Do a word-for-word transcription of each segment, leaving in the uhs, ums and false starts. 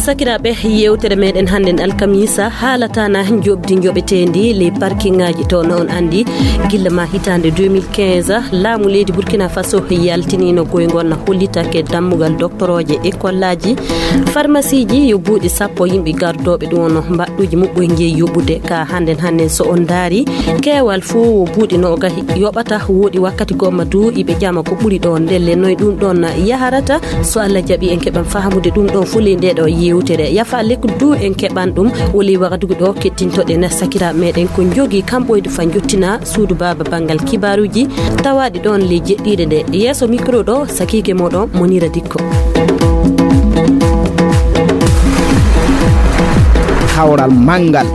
Sakiraaɓe, yewtere meɗen hannden alkamisa haalata na njoɓdi njoɓeteendi les parkingaji to. Na on anndi, gilla ma hitaande deux mille quinze, laamu leydi Burkina Faso yaltinino goyngol na hollitake dammugal doktorooje e kollaaji, farmasiiji yo buuɗi sappo, yimɓe gardooɓe ɗum no mbaɗɗuuji muɓɓoy njeyi yoɓude. Ka hannden hannden so on ndaari, keewal fof wo buuɗi noogahi yoɓata. Wooɗi wakkati gomma du iɓe ƴama ko ɓuri ɗo, ndelle noy ɗum ɗon yaharata. So Allah jaɓi, en keɓan fahamude ɗum ɗon fof ley nde ɗo yewtere. Yafa lekku du en keɓan ɗum woli wagadugu ɗo kettintoɗen sakiraaɓe meɗen ko jogi kam ɓoyde fa jottina suudu baaba banngal kibaaruji tawaaɗi ɗon ley jeɗɗiiɗe nde. Yeeso micro ɗo, sakiike moɗon Monira Dikko. Kawral manngal.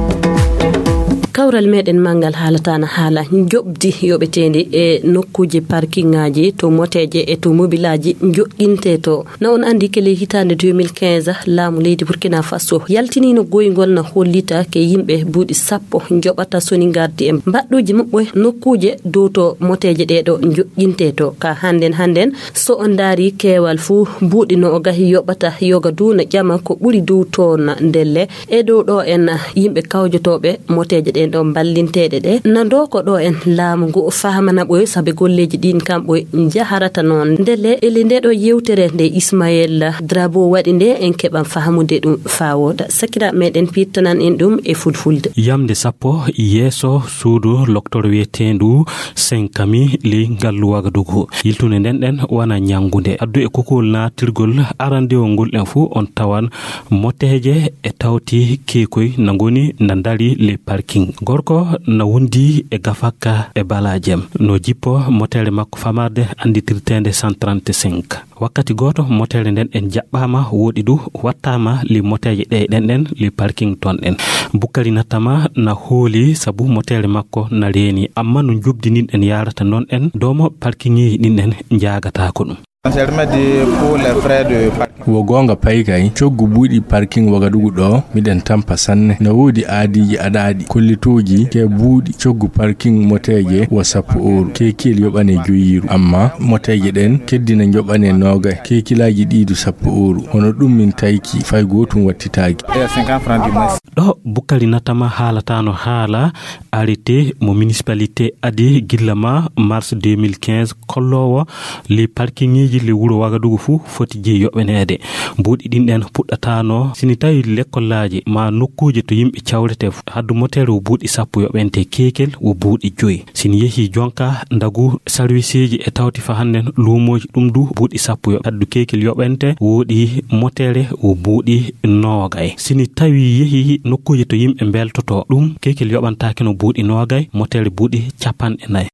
Kawral meɗen manngal haalata na haala njoɓdi yoɓeteendi e nokkuuje parkingaji to moteeje e to mobilaaji joɗɗinte to. Na on anndi ke ley hitaande deux mille quinze, laamu leydi Burkina Faso yaltinino goyngol na hollita ke yimɓe buuɗi sappo njoɓata soni ngardi e mbaɗɗuuji muɓɓoy nokkuuje dow to moteeje ɗe ɗo joɗɗinte to. Ka hannden hannden, so on ndaari keewal fuu, buuɗi noogahi yoɓata yoga du na ƴama ko ɓuri dow toon ndelle. E dow ɗo en yimɓe kawjotooɓe moteeje ɗen ɗo ballinteeɗe ɗe. Na ndoko ɗo en laamu ngu fahamana ɓoy sabe golleeji ɗin kam ɓoy njaharata noon. Ndelle e ley nde ɗo yewtere nde Ismaël Drabo waɗi nde, en keɓan fahamude ɗum faa wooɗa. Sakiraaɓe meɗen piirtanan en ɗum e fulfulde. Yamnde sappo yeeso suudu loktor wiyeteendu Senkami ley ngallu Wagadugu. Yiltunde nden ɗen wona ñanngunde. Addu e kokowol naatirgol arandewol ngol ɗen fuu on tawan moteeje e tawti keekoy na ngoni na ndari ley parking. Gorko na wondi e gafakka e balajem. No jippo moteere makko famarde annditirteende cent trente-cinq. Wakkati gooto, moteere nden en jaɓɓaama, wooɗi du wattaama li moteeje ɗe ɗen ɗen, li parking ton ɗen. Bukkari nattama na hooli sabu moteere makko na reeni, amma no njoɓdi ndin en yaarata non en, doomo parkingeeji ɗin ɗen njaagataako ɗum. Wo goonga pay kay, coggu buuɗi parking Wagadugu ɗo, miɗen tampa sanne. Na woodi aadiiji aɗaaɗi, kollitooji ke buuɗi coggu parking moteeje wo sappo euro, keekiyel yoɓane joyiiru. Amma moteeje ɗen keddi na njoɓane noogay, keekilaaji ɗiidu sappo euro. Hono ɗum min tayki, fay gootum wattitaaki. Ɗo Bukkari Natama haalataano haala arrêté mo municipalité adi gilla ma mars deux mille quinze kolloowo li parkingeeji li wuro Wagadugu fuu foti jeyi yoɓaneede. Buuɗi ɗin ɗen puɗɗataano sini tawi lekkolaaji ma nokkuuje to yimɓe cawrete fu-, haddu moteere wo buuɗi sappo yoɓente, keekel wo buuɗi joyi. Sini yehi jonka ndagu sarwiseeji e tawti fa hannden luumooji ɗum du buuɗi sappo yoɓ-, haddu keekel yoɓente wooɗi moteere wo buuɗi noogay. Sini tawi yehi nokkuuje to yimɓe mbeltoto ɗum, keekel yoɓantaake no buuɗi noogay, moteere buuɗi capanɗe nayi.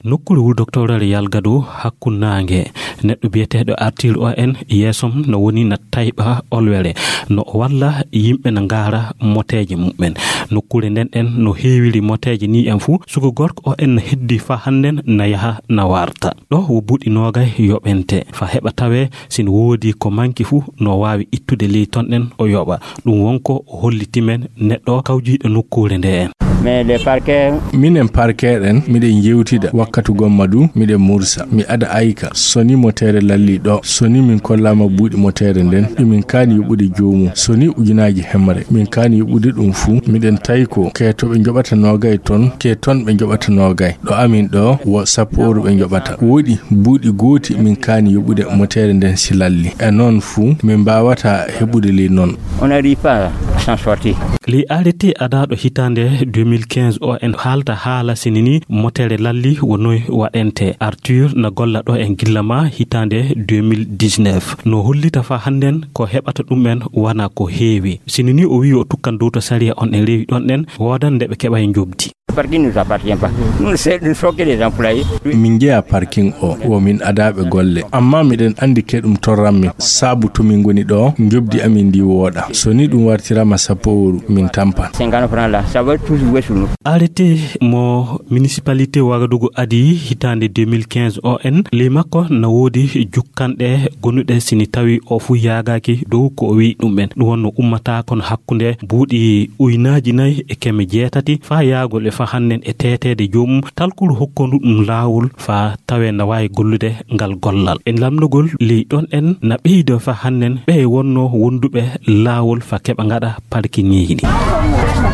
Nokkuure wuro doktorere Yalgado hakkunde naange, neɗɗo biyeteeɗo Arthur O N yeesom no woni na tayɓa olwere, no o walla yimɓe na ngaara moteeje mumen. Nokkuure nden ɗen no heewiri moteeje ni en fuu, suka gorko O N heddi fa hannden na yaha na warta. Ɗo wo buuɗi noogay yoɓente. Fa heɓa tawee, sino woodi ko manki fuu, no waawi ittude ley ton ɗen o yoɓa. Ɗum wonko o holliti men neɗɗo kawjiiɗo nokkuure nde en. Mais les parquets. Minen parquet ɗen, miɗen yewtida. Wakkati gomma du, miɗen mursa. Mi ada ayka. Soni moteere lalli ɗo. Soni min kollaama buuɗi moteere nden. Ɗum min kaani yoɓude joomum. Soni ujunaaji hemre. Min kaani yoɓude ɗum fuu. Miɗen tawi ko ke to ɓe njoɓata noogay ton, ke ton ɓe njoɓata noogay. Ɗo amin ɗo, wo sappo euro ɓe njoɓata. Wooɗi buuɗi gooti min kaani yoɓude moteere nden si lalli. E non fuu, min mbaawata heɓude ley non. On n'arrive pas à s'en sortir. Ley arrêté adaaɗo hitaande deux mille quinze O N haalta haala sini ni moteere lalli wo noy waɗente. Arthur na golla ɗo en gilla ma hitaande deux mille dix-neuf. No hollita fa hannden ko heɓata ɗum en wana ko heewi. Sini ni o wi'i o tukkan dow to sariya on en rewi ɗon ɗen, woodan nde ɓe keɓay njoɓdi. Parking ne nous appartient pas. Nous, c'est une sorte des employés. Min njeyaa parking o, wo min adaaɓe golle. Amma miɗen anndi ke ɗum torran min. Sabu to min ngoni ɗo, njoɓdi amin ndi wooɗa. So ni ɗum wartirama sappo euro, min tampan. Cinquante francs là, ça va tous jouer sur nous. Arrêté mo municipalité Ouagadougou adi hitaande deux mille quinze o en, ley makko na woodi jukkanɗe gonuɗe sini tawi o fuu yaagaaki dow ko o wi'i ɗum en. Ɗum wonno ummata kono hakkunde buuɗi uynaaji nayi e keme jeetati faa yaagol e faa hannen e teeteede joomum talkuru hokkondu ɗum laawol faa tawee na waawi gollude ngal gollal. E lamndogol ley ɗon en na ɓeydo faa hannen ɓe wonno wonduɓe laawol faa keɓa ngaɗa parkingeeji ɗi.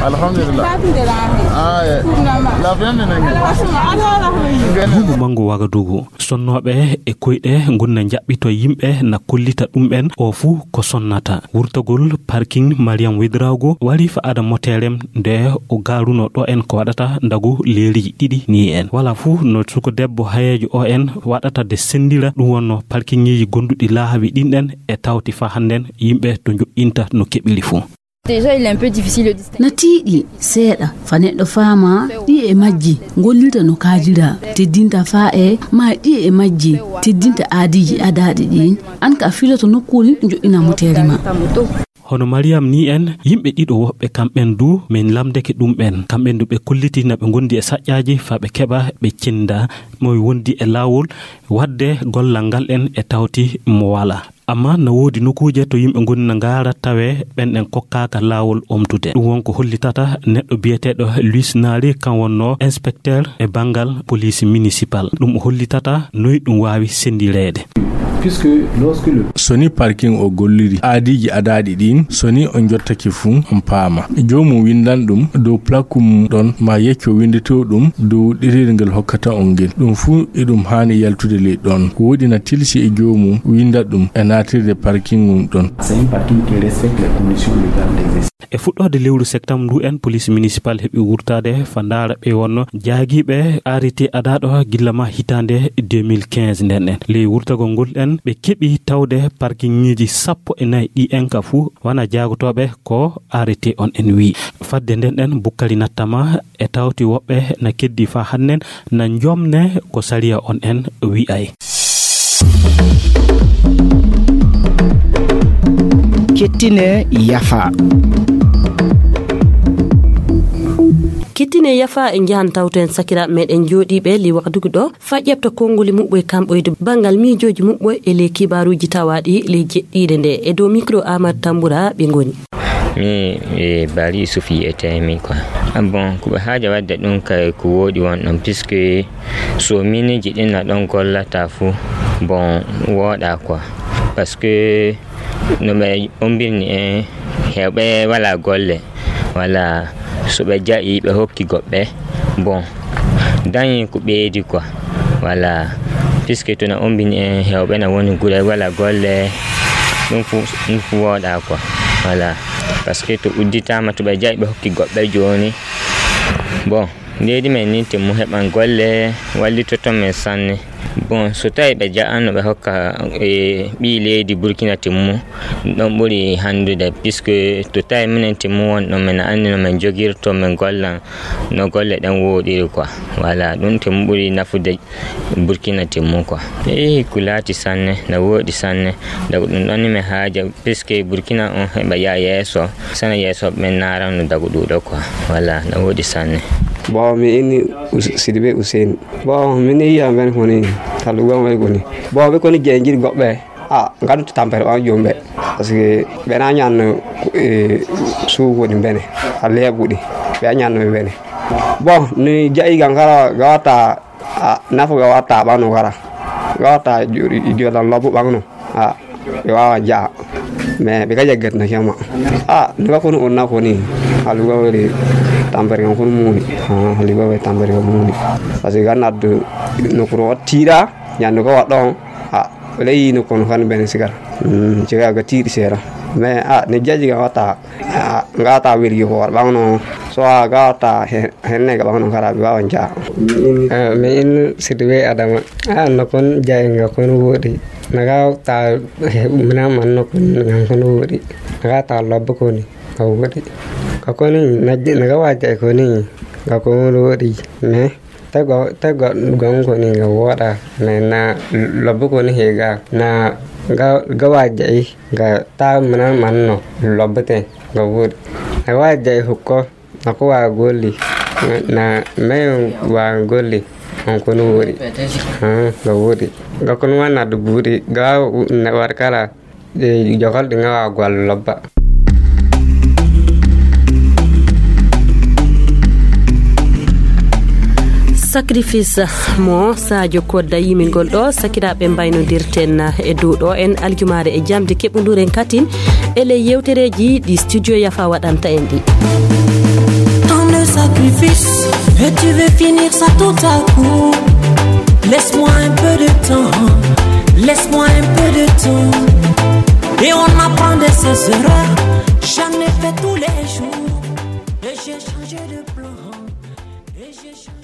Alhamdulillah. Ah, eh. La viande nenge. Duuɓi manngu Wagadugu. Sonnooɓe e koyɗe ngun na njaɓɓito yimɓe na kollita ɗum en o fuu ko sonnata. Wurtagol parking Mariam Wedrago wari fa ada moterem nde o gaaruno ɗo en ko waɗata ndagu leeriji ɗiɗi ni en. Wala fuu no suko debbo hayeejo o en waɗata de senndira ɗum wonno parkingeeji gonduɗi laawi ɗin ɗen e tawti fa hannden yimɓe to njoɗɗinta no keɓiri fuu. Déjà, il est un peu difficile de distinguer. Na tiiɗi seeɗa fa neɗɗo faama ɗiye e majji gollirta no kaajira, teddinta faa e ma ɗiye e majji teddinta aadiiji adaaɗi ɗin. An ka a filoto nokkuuri joɗɗina moteere ma. Hono Mariam ni en, yimɓe ɗiɗo woɓɓe kamɓen du min lamdeke ɗum ɓen. Kamɓen du ɓe kolliti na ɓe gondi e saƴƴaaji faa ɓe keɓa ɓe cenda mo wondi e laawol waɗde gollal ngal en e tawti mo wala. Amma na woodi nokuuje to yimɓe ngoni na ngaara tawe ɓen ɗen kokkaaka laawol omtude. Ɗum won ko hollitata neɗɗo biyeteeɗo Luis Naari, kan wonno inspecteur e banngal police municipal. Ɗum o hollitata noy ɗum waawi sendireede. Puisque lorsque le So ni parking o golliri aadiiji adaaɗi ɗin, so ni on jottake fuu, on paama. Joomum windan ɗum dow plaque mum ɗon, ma yecco winndetoo ɗum dow ɗereeri ngel hokkata on ngel. Ɗum fuu e ɗum haani yaltude ley ɗon. Ko woɗi na tilsi e joomum winda ɗum e naatirde parking mum ɗon. C'est un parking qui respecte les conditions légales d'exercice. E fuɗɗoode lewru septembre ndu en, police municipal heɓi wurtaade fa ndaara ɓe wonno jaagiiɓe arrêté adaaɗo gilla ma hitaande deux mille quinze nden en. Ley wurtagol ngol en, ɓe keɓi tawde parkingeeji sappo e nayi ɗi en ka fuu wana jaagotooɓe ko arrêté on en wi'i. Fadde nden en, Bukkari nattama e tawti woɓɓe na keddi fa hannen na njomne ko sariya on en wi'ay. Kettine yafa. Kettine yafa e njahan tawten sakiraaɓe meɗen jooɗiiɓe li waxdugu ɗo fa ƴeɓta konngoli muɓɓoy kamɓoyde banngal miijooji muɓɓoy e ley kibaaruuji tawaaɗi ley jeɗɗiire nde. E dow micro Amar Tambura ɓe ngoni. Mi e Bari Yusuf yiyetee mi quoi. Ah bon, ko ɓe haaja waɗde ɗum kay ko wooɗi won ɗon, puisque so miiniji ɗin na ɗon gollata fuu, bon, wooɗa quoi. Parce que no ɓe ombirni en, heewɓe wala golle, wala so ɓe jaɓi ɓe hokki goɓɓe, bon, dañi ko ɓeydi quoi. Wala, puisque tuna ombini en heewɓe na woni gure wala golle, ɗum fu ɗum fu wooɗa quoi. Wala, parce que to udditama to ɓe jaɓi ɓe hokki goɓɓe jooni, bon, leydi men ni timmu heɓan golle wallitoto men sanne. Bon, so tawi ɓe jaɓano ɓe hokka e ɓii leydi Burkina timmu, ɗon ɓuri handude, puisque to tawi minen timmu won ɗon, men anndi no men jogirto men gollan no golle ɗen wooɗiri quoi. Wala, ɗum timmu ɓuri nafude Burkina timmu quoi. Eyi, ko laati sanne, na wooɗi sanne. Daga ɗum ɗon ni mi haaja, puisque Burkina on heɓa yaa yeeso, sana yeeso ɓen naran no dagu ɗuɗo quoi. Wala, na wooɗi sanne. Bon, mi inni Sidibe Hussein. Bon, min yiya ben koni talugo ɓe koni. Bon, ɓe koni jengir goɓɓe. A, ngaddu tampere ɓan jomɓe. Parce que ɓe na ñanno e suugo ɗi bene. A leeɓuɗi. Ɓe a ñanno ɓe bene. Bon, ni jayi ga ngara ga watta, a, nafu ga watta ɓano gara. Ga watta jolan lobbo ɓano. A, ɓe wawa jaa. Mais ɓe ga jaggat na kema. A, ni ga kono on na koni. Halugo wori tampere kan kono muni. A, halugo wori tampere kan muni. Parce que ga naddu no kuro tiiɗa, ñandu ga waɗɗo on. A, wala yino kono kan ben sigara. Mm, ciga ga tiiɗi seera. Mais, a, ne jaji ga watta, a, ga watta weli ko war ɓano. So a ga watta he-, henne ga ɓano kara ɓe wawan jaa. A, mi in sidi we Adama. A, no kon jayi nga kon wooɗi. Na ga watta he, mina man no kon nga kon wooɗi. Na ga watta lobbo koni. Ka wooɗi. Ka koni na je-, na ga watta koni. Nga ko woni woɗi, mais tago tago gonko ni nga woɗa, mais na lobbo ko ni hega na ga ga waja yi ga ta mana manno lobbo te nga woɗi. Na waja yi hukko na ko wa golli na men wa golli on ko no woɗi. Ah, nga woɗi. Ga ko no wana du buɗi ga na warkala. Ɗe jokal ɗi ngawa goal lobba. Sacrifice mo Sadio Kodda yimingol ɗo, sakiraaɓe mbaynodirten e dow ɗo en aljumaare e jamde keɓunduren katin e ley yewtereeji ɗi studio Yafa waɗanta en ɗi. Tant de sacrifices, et tu veux finir ça tout à coup. Laisse-moi un peu de temps, laisse-moi un peu de temps. Et on apprend de ses erreurs. J'en ai fait tous les jours. Et j'ai changé de plan. Et j'ai changé